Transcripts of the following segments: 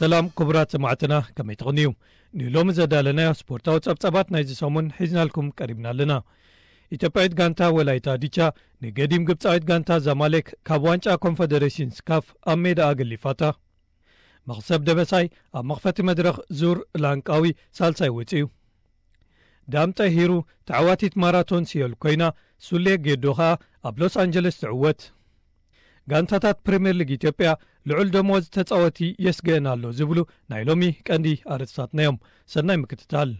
ሰላም ክቡራት ሰማዕትና፣ ከመይ ትቕንዩ? ንሎሚ ዘዳለናዮ ስፖርታዊ ጸብጻባት ናይዚ ሰሙን ሒዝናልኩም ቀሪብና ኣለና። ኢትዮጵያዊት ጋንታ ወላይታ ዲቻ ንገዲም ግብጻዊት ጋንታ ዛማሌክ ካብ ዋንጫ ኮንፈደሬሽንስ ካፍ ኣብ ሜዳ ኣገሊፋታ። መኽሰብ ደበሳይ ኣብ መኽፈቲ መድረኽ ዙር ላንቃዊ ሳልሳይ ወጺኡ። ዳምጠ ሂሩ ተዓዋቲት ማራቶን ሲዮል ኮይና፣ ሱሌ ጌዶ ኸኣ ኣብ ሎስ ኣንጀለስ ትዕወት። ጋንታታት ፕሪምየር ሊግ ኢትዮጵያ ልዑል ደሞዝ ተጻወቲ የስግአን ኣሎ ዝብሉ ናይ ሎሚ ቀንዲ ኣርእስታትና እዮም። ሰናይ ምክትታል።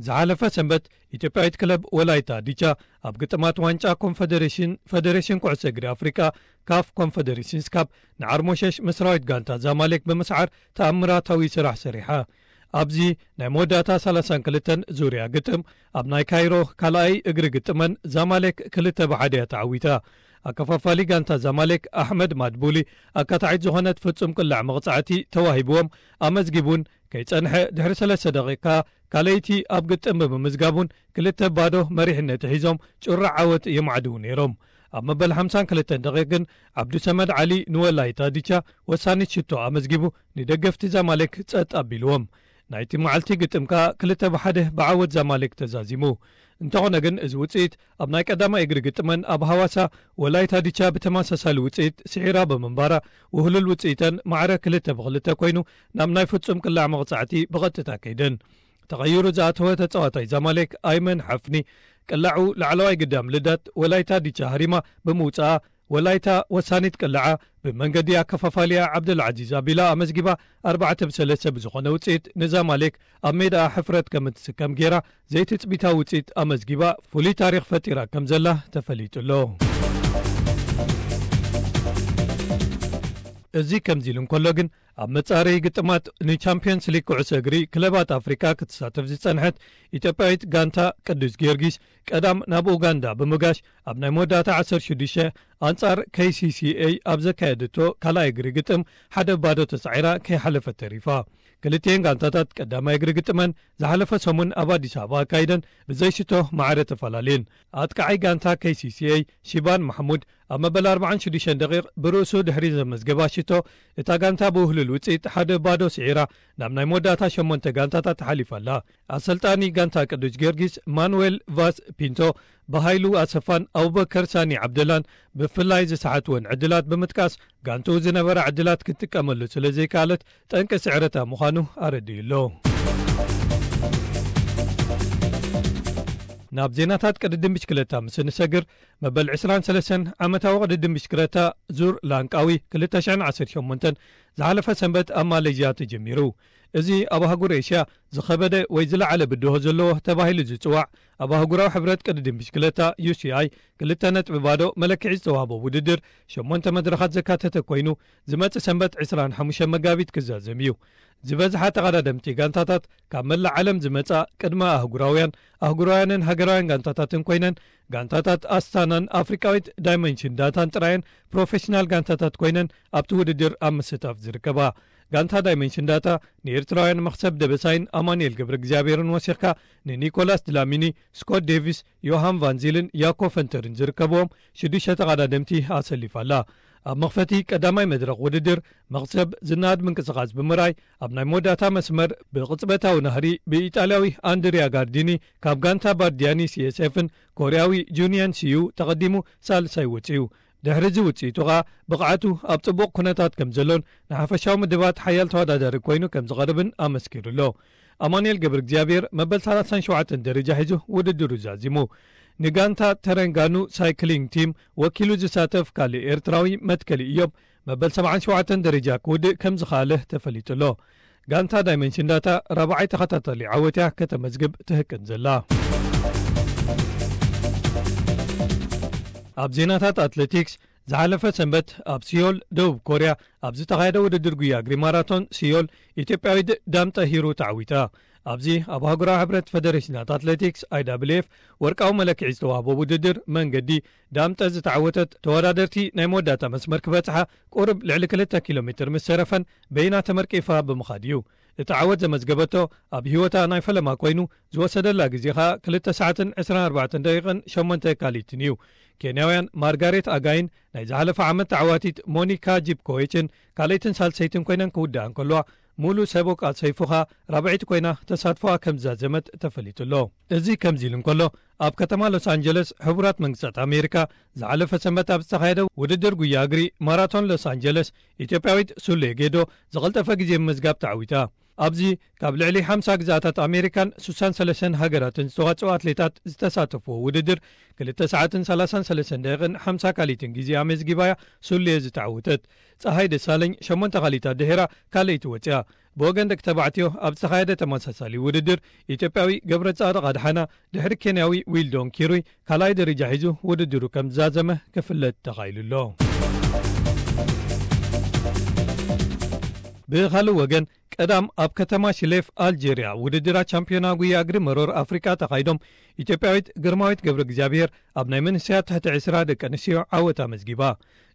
ዝሓለፈ ሰንበት ኢትዮጵያዊት ክለብ ወላይታ ዲቻ ኣብ ግጥማት ዋንጫ ኮንፈደሬሽን፣ ፈደሬሽን ኩዕሶ እግሪ ኣፍሪቃ፣ ካፍ ኮንፈደሬሽንስ ካፕ፣ ንዓርሞሸሽ ምስራዊት ጋንታ ዛማሌክ ብምስዓር ተኣምራታዊ ስራሕ ሰሪሓ። ኣብዚ ናይ መወዳእታ ሰላሳን ክልተን ዙርያ ግጥም ኣብ ናይ ካይሮ ካልኣይ እግሪ ግጥመን ዛማሌክ ክልተ ብሓደ እያ ተዓዊታ። ኣከፋፋሊ ጋንታ ዛማሌክ ኣሕመድ ማድቡሊ ኣካታዒት ዝኾነት ፍጹም ቅላዕ መቕጻዕቲ ተዋሂብዎም ኣመዝጊቡን ከይጸንሐ ድሕሪ ሰለስተ ደቂቃ ካልኣይቲ ኣብ ግጥም ብምምዝጋቡን ክልተ ባዶ መሪሕነት ሒዞም ጩራ ዓወት የማዕድዉ ነይሮም። ኣብ መበል ሓምሳን ክልተን ደቂቕ ግን ዓብዱሰመድ ዓሊ ንወላይታ ዲቻ ወሳኒት ሽቶ ኣመዝጊቡ ንደገፍቲ ዛማሌክ ጸጥ ኣቢልዎም። ናይቲ መዓልቲ ግጥም ከኣ ክልተ ብሓደ ብዓወት ዛማሌክ ተዛዚሙ። እንተኾነ ግን እዚ ውጽኢት ኣብ ናይ ቀዳማይ እግሪ ግጥመን ኣብ ሃዋሳ ወላይታ ዲቻ ብተመሳሳሊ ውጽኢት ስዒራ ብምንባራ ውህሉል ውጽኢተን ማዕረ ክልተ ብክልተ ኮይኑ ናብ ናይ ፍጹም ቅላዕ መቕጻዕቲ ብቐጥታ ከይደን። ተቐይሩ ዝኣተወ ተጻዋታይ ዛማሌክ ኣይመን ሓፍኒ ቅላዑ ላዕለዋይ ግዳም ልዳት ወላይታ ዲቻ ሃሪማ ብምውጻኣ ወላይታ ወሳኒት ቅላዓ ብመንገዲ ኣከፋፋሊኣ ዓብደልዓዚዝ ኣቢላ ኣመዝጊባ ኣርባዕተ ብሰለስተ ብዝኾነ ውጽኢት ንዛማሌክ ኣብ ሜዳኣ ሕፍረት ከም እትስከም ጌራ ዘይትጽቢታዊ ውጽኢት ኣመዝጊባ ፍሉይ ታሪኽ ፈጢራ ከም ዘላ ተፈሊጡ ኣሎ። እዚ ከምዚ ኢሉ እንከሎ ግን ኣብ መጻረዪ ግጥማት ንቻምፒየንስ ሊግ ኩዕሶ እግሪ ክለባት ኣፍሪቃ ክትሳተፍ ዝጸንሐት ኢትዮጵያዊት ጋንታ ቅዱስ ጊዮርጊስ ቀዳም ናብ ኡጋንዳ ብምጋሽ ኣብ ናይ መወዳእታ ዓሰርተ ሽዱሽተ ኣንጻር ኬ ሲ ሲ ኤ ኣብ ዘካየደቶ ካልኣይ እግሪ ግጥም ሓደ ባዶ ተሳዒራ ከይሓለፈት ተሪፋ። ክልቲኤን ጋንታታት ቀዳማይ እግሪ ግጥመን ዝሓለፈ ሰሙን ኣብ ኣዲስ ኣበባ ኣካይደን ብዘይሽቶ ማዕረ ተፈላለየን። ኣጥቃዓይ ጋንታ ኬ ሲ ሲ ኤ ሺባን ማሕሙድ ኣብ መበል ኣርባዓን ሽዱሽተን ደቂቕ ብርእሱ ድሕሪ ዘመዝገባ ሽቶ እታ ጋንታ ብውህሉል ውጽኢት ሓደ ባዶ ስዒራ ናብ ናይ መወዳእታ ሸሞንተ ጋንታታት ሓሊፋ ኣላ። ኣሰልጣኒ ጋንታ ቅዱስ ጊዮርጊስ ማኑዌል ቫስ ፒንቶ ብሃይሉ ኣሰፋን ኣቡበከር ሳኒ ዓብደላን ብፍላይ ዝሰሓትወን ዕድላት ብምጥቃስ ጋንትኡ ዝነበራ ዕድላት ክትጥቀመሉ ስለ ዘይከኣለት ጠንቂ ስዕረታ ምዃኑ ኣረዲኡ ኣሎ። ናብ ዜናታት ቅድድም ብሽክለታ ምስ እንሰግር መበል ዕስራን ሰለስተን ዓመታዊ ቅድድም ብሽክለታ ዙር ላንቃዊ ክልተ ሽሕን ዓሰርተ ሸሞንተን ዝሓለፈ ሰንበት ኣብ ማሌዥያ ተጀሚሩ። እዚ ኣብ ኣህጉር ኤሽያ ዝኸበደ ወይ ዝለዓለ ብድሆ ዘለዎ ተባሂሉ ዝጽዋዕ ኣብ ኣህጉራዊ ሕብረት ቅድድም ብሽክለታ ዩ ሲ ኣይ ክልተ ነጥቢ ባዶ መለክዒ ዝተዋህቦ ውድድር ሸሞንተ መድረኻት ዘካተተ ኮይኑ ዝመጽእ ሰንበት ዕስራን ሓሙሽተን መጋቢት ክዛዘም እዩ። ዝበዝሓ ተቐዳደምቲ ጋንታታት ካብ መላእ ዓለም ዝመጻ ቅድመ ኣህጉራውያን፣ ኣህጉራውያንን ሃገራውያን ጋንታታትን ኮይነን ጋንታታት ኣስታናን ኣፍሪቃዊት ዳይመንሽን ዳታን ጥራየን ፕሮፌሽናል ጋንታታት ኮይነን ኣብቲ ውድድር ኣብ ምስታፍ ዝርከባ። ጋንታ ዳይመንሽን ዳታ ንኤርትራውያን መኽሰብ ደበሳይን ኣማኑኤል ገብረ እግዚኣብሔርን ወሲኽካ ንኒኮላስ ድላሚኒ፣ ስኮት ዴቪስ፣ ዮሃን ቫንዚልን ያኮ ፈንተርን ዝርከብዎም ሽዱሽተ ተቐዳደምቲ ኣሰሊፋ ኣላ። ኣብ መኽፈቲ ቀዳማይ መድረኽ ውድድር መኽሰብ ዝነኣድ ምንቅስቓስ ብምርኣይ ኣብ ናይ መወዳእታ መስመር ብቕጽበታዊ ናህሪ ብኢጣልያዊ ኣንድሪያ ጋርዲኒ ካብ ጋንታ ባርዲያኒ ሲ ኤስ ኤፍን ኮርያዊ ጁንየን ሲዩ ተቐዲሙ ሳልሳይ ወጺኡ። ድሕሪ እዚ ውጽኢቱ ኸኣ ብቕዓቱ ኣብ ጽቡቕ ኩነታት ከም ዘሎን ንሓፈሻዊ ምድባት ሓያል ተወዳዳሪ ኮይኑ ከም ዝቐርብን ኣመስኪሩ ኣሎ። ኣማኑኤል ገብረ እግዚኣብሔር መበል ሰላሳን ሸውዓተን ደረጃ ሒዙ ውድድሩ ዛዚሙ። ንጋንታ ተረንጋኑ ሳይክሊንግ ቲም ወኪሉ ዝሳተፍ ካልእ ኤርትራዊ መትከሊ እዮብ መበል ሰብዓን ሸውዓተን ደረጃ ክውድእ ከም ዝኸኣለ ተፈሊጡ ኣሎ። ጋንታ ዳይመንሽን ዳታ ራብዓይ ተኸታታሊ ዓወት እያ ከተመዝግብ ትህቅን ዘላ። ኣብ ዜናታት ኣትሌቲክስ ዝሓለፈ ሰንበት ኣብ ሲዮል ደቡብ ኮርያ ኣብ ዝተኻየደ ውድድር ጉያ እግሪ ማራቶን ሲዮል ኢትዮጵያዊት ዳምጠ ሂሩ ተዓዊታ። ኣብዚ ኣብ ኣህጉራዊ ሕብረት ፈደሬሽናት ኣትሌቲክስ ኣይ ዳብልዩ ኤፍ ወርቃዊ መለክዒ ዝተዋህቦ ውድድር መንገዲ ዳምጠ ዝተዓወተት ተወዳደርቲ ናይ መወዳእታ መስመር ክበጽሓ ቁሩብ ልዕሊ ክልተ ኪሎ ሜትር ምስ ተረፈን በይና ተመርቂፋ ብምኻድ እዩ። እቲ ዓወት ዘመዝገበቶ ኣብ ህይወታ ናይ ፈለማ ኮይኑ፣ ዝወሰደላ ግዜ ኸኣ ክልተ ሰዓትን ዕስራን ኣርባዕተን ደቂቕን ሸሞንተ ካሊትን እዩ። ኬንያውያን ማርጋሬት ኣጋይን ናይ ዝሓለፈ ዓመት ተዓዋቲት ሞኒካ ጂፕኮዊችን ካልኣይትን ሳልሰይትን ኮይነን ክውድኣ እንከለዋ፣ ሙሉ ሰቦቃ ሰይፉኻ ራብዐይቲ ኮይና ተሳትፎኣ ከም ዝዛዘመት ተፈሊጡ ኣሎ። እዚ ከምዚ ኢሉ እንከሎ፣ ኣብ ከተማ ሎስ ኣንጀለስ ሕቡራት መንግስታት ኣሜሪካ ዝሓለፈ ሰንበት ኣብ ዝተኻየደ ውድድር ጉያ እግሪ ማራቶን ሎስ ኣንጀለስ፣ ኢትዮጵያዊት ሱሌ ጌዶ ዝቐልጠፈ ግዜ ምምዝጋብ ተዓዊታ። ኣብዚ ካብ ልዕሊ ሓምሳ ግዝኣታት ኣሜሪካን ሱሳን ሰለስተን ሃገራትን ዝተዋጽኡ ኣትሌታት ዝተሳተፍዎ ውድድር፣ ክልተ ሰዓትን ሰላሳን ሰለስተን ደቂቕን ሓምሳ ካሊትን ግዜ ኣመዝጊባ እያ ሱሌ ዝተዓወተት። ጸሃይ ደሳለኝ ሸሞንተ ካሊታት ድሒራ ካልኣይቲ ወጽያ። ብወገን ደቂ ተባዕትዮ ኣብ ዝተኻየደ ተመሳሳሊ ውድድር፣ ኢትዮጵያዊ ገብረጻድቕ ኣድሓና ድሕሪ ኬንያዊ ዊልዶን ኪሩይ ካልኣይ ደረጃ ሒዙ ውድድሩ ከም ዝዛዘመ ክፍለጥ ተኻኢሉ ኣሎ። ብኻልእ ወገን፣ ቀዳም ኣብ ከተማ ሽሌፍ ኣልጀርያ ውድድራት ቻምፒዮና ጉያ እግሪ መሮር ኣፍሪቃ ተኻይዶም፣ ኢትዮጵያዊት ግርማዊት ገብረ እግዚኣብሔር ኣብ ናይ መንእሰያት ትሕቲ ዕስራ ደቂ ኣንስትዮ ዓወት ኣመዝጊባ።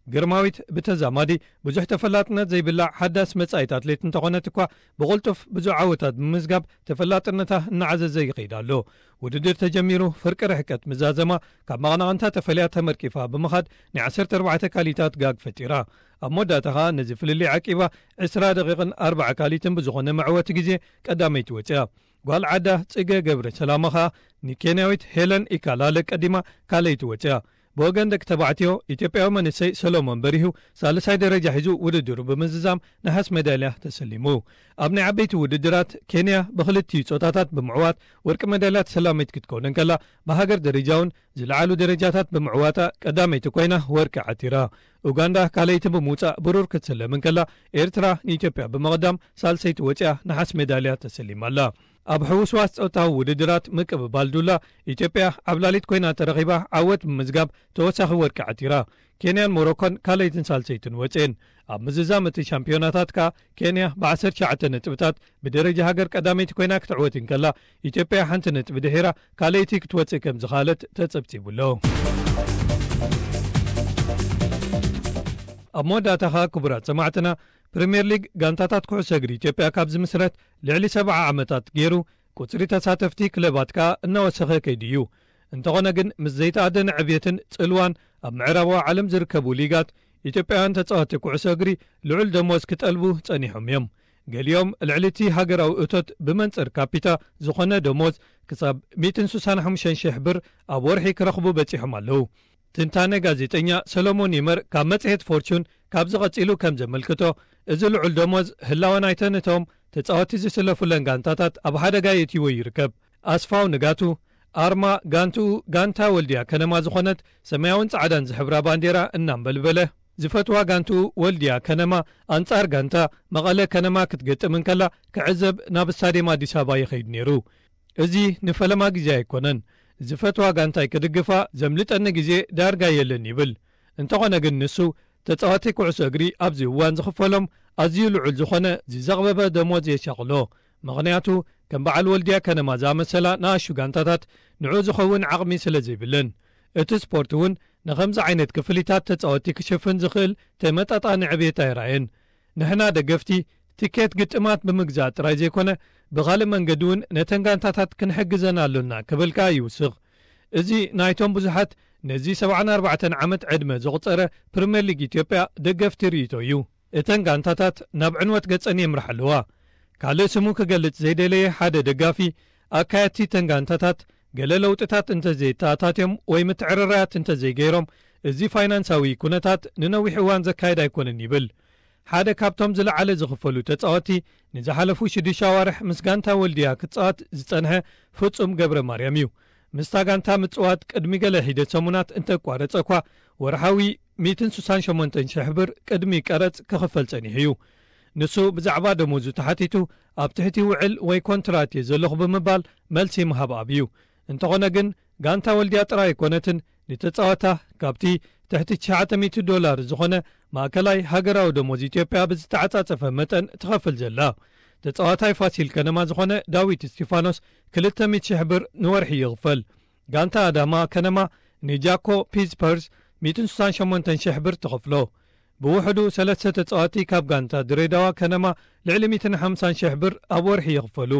ግርማዊት ብተዛማዲ ብዙሕ ተፈላጥነት ዘይብላ ሓዳስ መጻኢት ኣትሌት እንተኾነት እኳ፣ ብቕልጡፍ ብዙሕ ዓወታት ብምምዝጋብ ተፈላጥነታ እናዓዘዘ ይኸይድ ኣሎ። ውድድር ተጀሚሩ ፍርቂ ርሕቀት ምዛዘማ፣ ካብ መቐናቕንታ ተፈልያ ተመርቂፋ ብምኻድ ናይ ዓሰርተ ኣርባዕተ ካሊታት ጋግ ፈጢራ። ኣብ መወዳእታ ኸኣ ነዚ ፍልልይ ዓቂባ ዕስራ ደቂቕን ኣርባዓ ካሊትን ብዝኾነ መዕወቲ ግዜ ቀዳመይቲ ወጽያ። ጓል ዓዳ ጽገ ገብረ ሰላማ ኸኣ ንኬንያዊት ሄለን ኢካላለ ቀዲማ ካልኣይቲ ወጽያ። ብወገን ደቂ ተባዕትዮ፣ ኢትዮጵያዊ መንእሰይ ሰሎሞን በሪሁ ሳልሳይ ደረጃ ሒዙ ውድድሩ ብምዝዛም ነሓስ ሜዳልያ ተሰሊሙ። ኣብ ናይ ዓበይቲ ውድድራት፣ ኬንያ ብኽልቲኡ ጾታታት ብምዕዋት ወርቂ ሜዳልያ ተሰላሚት ክትከውን እንከላ፣ ብሃገር ደረጃ እውን ዝለዓሉ ደረጃታት ብምዕዋታ ቀዳመይቲ ኮይና ወርቂ ዓቲራ። ኡጋንዳ ካልኣይቲ ብምውጻእ ብሩር ክትስለም እንከላ፣ ኤርትራ ንኢትዮጵያ ብምቕዳም ሳልሰይቲ ወጺኣ ነሓስ ሜዳልያ ተሰሊማ ኣላ። ኣብ ሕውስዋስ ጾታዊ ውድድራት ምቅብባል ዱላ፣ ኢትዮጵያ ዓብላሊት ኮይና ተረኺባ ዓወት ብምዝጋብ ተወሳኺ ወርቂ ዓቲራ። ኬንያን ሞሮኮን ካልኣይትን ሳልሰይትን ወጽኤን። ኣብ ምዝዛም እቲ ሻምፒዮናታት ከኣ ኬንያ ብዓሰርተ ትሽዓተ ነጥብታት ብደረጃ ሃገር ቀዳመይቲ ኮይና ክትዕወት እንከላ፣ ኢትዮጵያ ሓንቲ ነጥቢ ድሒራ ካልኣይቲ ክትወጽእ ከም ዝኸኣለት ተጸብጺቡ ኣሎ። ኣብ መወዳእታ ከኣ ክቡራት ሰማዕትና፣ ፕሪምየር ሊግ ጋንታታት ኩዕሶ እግሪ ኢትዮጵያ ካብ ዝምስረት ልዕሊ ሰብዓ ዓመታት ገይሩ፣ ቁጽሪ ተሳተፍቲ ክለባት ከኣ እናወሰኸ ከይዱ እዩ። እንተኾነ ግን፣ ምስ ዘይተኣደነ ዕብየትን ጽልዋን ኣብ ምዕራባዊ ዓለም ዝርከቡ ሊጋት፣ ኢትዮጵያውያን ተጻወትቲ ኩዕሶ እግሪ ልዑል ደሞዝ ክጠልቡ ጸኒሖም እዮም። ገሊኦም ልዕሊ እቲ ሃገራዊ እቶት ብመንጽር ካፒታ ዝኾነ ደሞዝ ክሳብ ሚእትን ስሳን ሓሙሽተን ሽሕ ብር ኣብ ወርሒ ክረኽቡ በጺሖም ኣለዉ። ትንታነ ጋዜጠኛ ሰሎሞን ይመር ካብ መጽሔት ፎርቹን ካብዚ ቀጺሉ ከም ዘመልክቶ፣ እዚ ልዑል ደሞዝ ህላወ ናይተን እቶም ተጻወትቲ ዝስለፉለን ጋንታታት ኣብ ሓደጋ የእትይዎ ይርከብ። ኣስፋው ንጋቱ፣ ኣርማ ጋንትኡ ጋንታ ወልድያ ከነማ ዝኾነት ሰማያውን ጻዕዳን ዝሕብራ ባንዴራ እናንበልበለ፣ ዝፈትዋ ጋንትኡ ወልድያ ከነማ ኣንጻር ጋንታ መቐለ ከነማ ክትገጥም እንከላ ክዕዘብ ናብ ስታድየም ኣዲስ ኣበባ ይኸይድ ነይሩ። እዚ ንፈለማ ግዜ ኣይኮነን። ዝፈትዋ ጋንታይ ክድግፋ ዘምልጠኒ ግዜ ዳርጋ የለን ይብል። እንተኾነ ግን ንሱ፣ ተጻዋቲ ኩዕሶ እግሪ ኣብዚ እዋን ዝኽፈሎም ኣዝዩ ልዑል ዝኾነ ዝዘቕበበ ደሞዝ የሻቕሎ። ምኽንያቱ፣ ከም በዓል ወልድያ ከነማ ዝኣመሰላ ንኣሽቱ ጋንታታት ንዕኡ ዝኸውን ዓቕሚ ስለ ዘይብለን። እቲ ስፖርት እውን ንኸምዚ ዓይነት ክፍሊታት ተጻወትቲ ክሽፍን ዝኽእል ተመጣጣኒ ዕብየት ኣይረኣየን። ንሕና ደገፍቲ፣ ትኬት ግጥማት ብምግዛእ ጥራይ ዘይኮነ፣ ብኻልእ መንገዲ እውን ነተን ጋንታታት ክንሕግዘን ኣሎና ክብል ከኣ ይውስኽ። እዚ ናይቶም ብዙሓት ነዚ ሰብዓን ኣርባዕተን ዓመት ዕድመ ዘቑጸረ ፕሪምየር ሊግ ኢትዮጵያ ደገፍቲ ርእይቶ እዩ። እተን ጋንታታት ናብ ዕንወት ገጸን የምርሓ ኣለዋ። ካልእ ስሙ ክገልጽ ዘይደለየ ሓደ ደጋፊ፣ ኣካየድቲ እተን ጋንታታት ገለ ለውጥታት እንተዘየተኣታትዮም ወይ ምትዕርራያት እንተዘይገይሮም፣ እዚ ፋይናንሳዊ ኩነታት ንነዊሕ እዋን ዘካይድ ኣይኮነን ይብል። ሓደ ካብቶም ዝለዓለ ዝኽፈሉ ተጻወትቲ፣ ንዝሓለፉ ሽዱሽተ ኣዋርሕ ምስ ጋንታ ወልድያ ክጻወት ዝጸንሐ ፍጹም ገብረ ማርያም እዩ። ምስታ ጋንታ ምጽዋት ቅድሚ ገለ ሒደት ሰሙናት እንተቋረጸ እኳ፣ ወርሓዊ ሚእትን ስሳን ሸሞንተን ሽሕ ብር ቅድሚ ቀረጽ ክኽፈል ጸኒሑ እዩ። ንሱ ብዛዕባ ደሞዙ ተሓቲቱ፣ ኣብ ትሕቲ ውዕል ወይ ኮንትራት እየ ዘለኹ ብምባል መልሲ ምሃብ ኣብዩ። እንተኾነ ግን፣ ጋንታ ወልድያ ጥራይ ኣይኮነትን ንተጻወታ ካብቲ ትሕቲ ትሽዓተ ሚእቲ ዶላር ዝኾነ ማእከላይ ሃገራዊ ደሞዝ ኢትዮጵያ ብዝተዓጻጸፈ መጠን ትኸፍል ዘላ። ተጻዋታይ ፋሲል ከነማ ዝኾነ ዳዊት እስቲፋኖስ ክልተ ሚእቲ ሽሕ ብር ንወርሒ ይኽፈል። ጋንታ ኣዳማ ከነማ ንጃኮ ፒስፐርስ ሚእትን ስሳን ሸሞንተን ሽሕ ብር ትኸፍሎ። ብውሕዱ ሰለስተ ተጻወቲ ካብ ጋንታ ድሬዳዋ ከነማ ልዕሊ ሚእትን ሓምሳን ሽሕ ብር ኣብ ወርሒ ይኽፈሉ።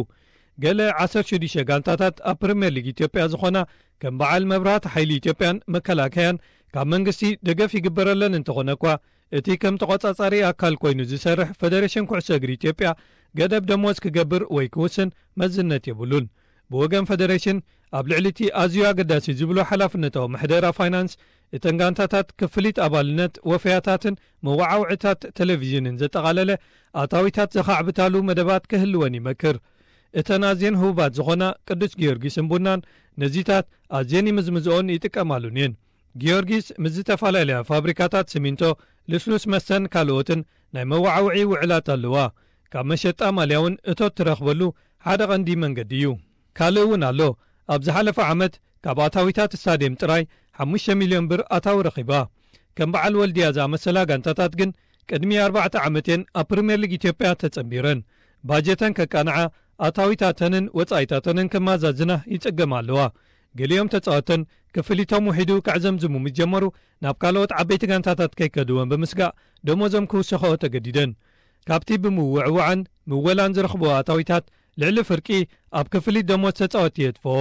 ገለ ዓሰርተ ሽዱሽተ ጋንታታት ኣብ ፕሪምየር ሊግ ኢትዮጵያ ዝኾና ከም በዓል መብራት ሓይሊ ኢትዮጵያን መከላከያን ካብ መንግስቲ ደገፍ ይግበረለን እንተኾነ እኳ፣ እቲ ከም ተቖጻጻሪ ኣካል ኮይኑ ዝሰርሕ ፈደሬሽን ኩዕሶ እግሪ ኢትዮጵያ ገደብ ደሞዝ ክገብር ወይ ክውስን መዝነት የብሉን። ብወገን ፈደሬሽን ኣብ ልዕሊ እቲ ኣዝዩ ኣገዳሲ ዝብሎ ሓላፍነታዊ ምሕደራ ፋይናንስ፣ እተን ጋንታታት ክፍሊት ኣባልነት፣ ወፈያታትን መወዓውዒታት ቴሌቪዥንን ዘጠቓለለ ኣታዊታት ዘኻዕብታሉ መደባት ክህልወን ይመክር። እተን ኣዝየን ህቡባት ዝኾና ቅዱስ ጊዮርጊስን ቡናን ነዚታት ኣዝየን ይምዝምዝኦን ይጥቀማሉን እየን። ጊዮርጊስ ምስ ዝተፈላለያ ፋብሪካታት ሲሚንቶ፣ ልስሉስ መስተን ካልኦትን ናይ መወዓውዒ ውዕላት ኣለዋ። ካብ መሸጣ ማልያ እውን እቶት ትረኽበሉ ሓደ ቀንዲ መንገዲ እዩ። ካልእ እውን ኣሎ። ኣብ ዝሓለፈ ዓመት ካብ ኣታዊታት ስታድየም ጥራይ ሓሙሽተ ሚልዮን ብር ኣታዊ ረኺባ። ከም በዓል ወልድያ ዝኣመሰላ ጋንታታት ግን ቅድሚ ኣርባዕተ ዓመት እየን ኣብ ፕሪምየር ሊግ ኢትዮጵያ ተጸንቢረን። ባጀተን ከቃንዓ፣ ኣታዊታተንን ወጻኢታተንን ከማዛዝና ይጽገማ ኣለዋ። ገሊኦም ተጻወተን ክፍሊቶም ውሒዱ ከዕዘምዝሙ ምስ ጀመሩ፣ ናብ ካልኦት ዓበይቲ ጋንታታት ከይከድወን ብምስጋእ ደሞዞም ክውሰኸኦ ተገዲደን። ካብቲ ብምውዕዋዕን ምወላን ዝረኽብኦ ኣታዊታት ልዕሊ ፍርቂ ኣብ ክፍሊት ደሞዝ ተጻወቲ የጥፍኦ።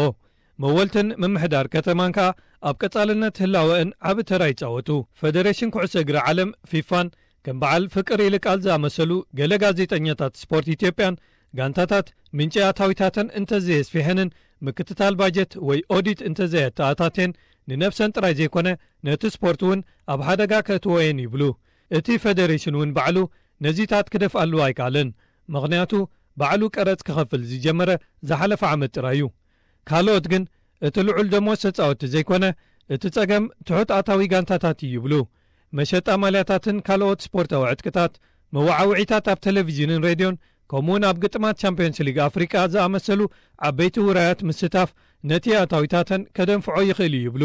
መወልትን ምምሕዳር ከተማን ከኣ ኣብ ቀጻልነት ህላወእን ዓቢ ተራ ይጻወቱ። ፈደሬሽን ኩዕሶ እግሪ ዓለም ፊፋን ከም በዓል ፍቅር ይልቃል ዝኣመሰሉ ገለ ጋዜጠኛታት ስፖርት ኢትዮጵያን ጋንታታት ምንጪ ኣታዊታተን እንተዘየስፊሐንን ምክትታል ባጀት ወይ ኦዲት እንተዘየተኣታቴን ንነብሰን ጥራይ ዘይኮነ ነቲ ስፖርት እውን ኣብ ሓደጋ ከእትዎ እየን ይብሉ። እቲ ፈደሬሽን እውን ባዕሉ ነዚታት ክደፍኣሉ ኣይከኣለን። ምኽንያቱ ባዕሉ ቀረጽ ክኸፍል ዝጀመረ ዝሓለፈ ዓመት ጥራይ እዩ። ካልኦት ግን እቲ ልዑል ደሞዝ ተጻወቲ ዘይኮነ እቲ ጸገም ትሑት ኣታዊ ጋንታታት እዩ ይብሉ። መሸጣ ማልያታትን ካልኦት ስፖርታዊ ዕጥቅታት፣ መወዓውዒታት ኣብ ቴሌቪዥንን ሬድዮን፣ ከምኡውን ኣብ ግጥማት ቻምፒዮንስ ሊግ ኣፍሪቃ ዝኣመሰሉ ዓበይቲ ውራያት ምስታፍ ነቲ ኣታዊታተን ከደንፍዖ ይኽእል እዩ ይብሉ።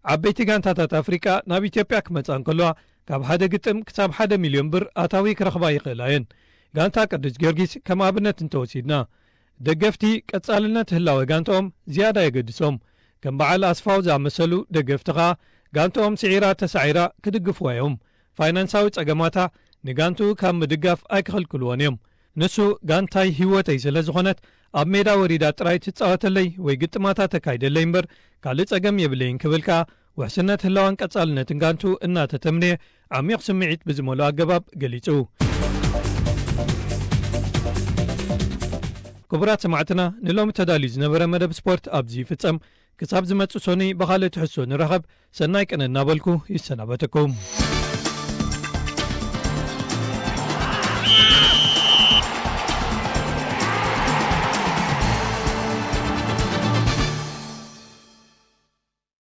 ዓበይቲ ጋንታታት ኣፍሪቃ ናብ ኢትዮጵያ ክመጻ እንከለዋ ካብ ሓደ ግጥም ክሳብ ሓደ ሚልዮን ብር ኣታዊ ክረኽባ ይኽእላ እየን። ጋንታ ቅዱስ ጊዮርጊስ ከም ኣብነት እንተወሲድና፣ ደገፍቲ ቀጻልነት ህላወ ጋንታኦም ዝያዳ የገድሶም። ከም በዓል ኣስፋው ዝኣመሰሉ ደገፍቲ ኸኣ ጋንታኦም ስዒራ ተሳዒራ ክድግፍዋ እዮም። ፋይናንሳዊ ጸገማታ ንጋንትኡ ካብ ምድጋፍ ኣይክኽልክልዎን እዮም። ንሱ ጋንታይ ህይወተይ ስለ ዝኾነት ኣብ ሜዳ ወሪዳ ጥራይ ትጻወተለይ ወይ ግጥማታ ተካይደለይ እምበር ካልእ ጸገም የብለይን ክብል ከኣ ውሕስነት ህላዋን ቀጻልነትን ጋንትኡ እናተተምነየ ዓሚቕ ስምዒት ብዝመልኦ ኣገባብ ገሊጹ። ክቡራት ሰማዕትና፣ ንሎሚ ተዳልዩ ዝነበረ መደብ ስፖርት ኣብዚ ይፍጸም። ክሳብ ዝመጽእ ሰኑይ ብኻልእ ትሕዝቶ ንራኸብ። ሰናይ ቅነ እናበልኩ ይሰናበተኩም።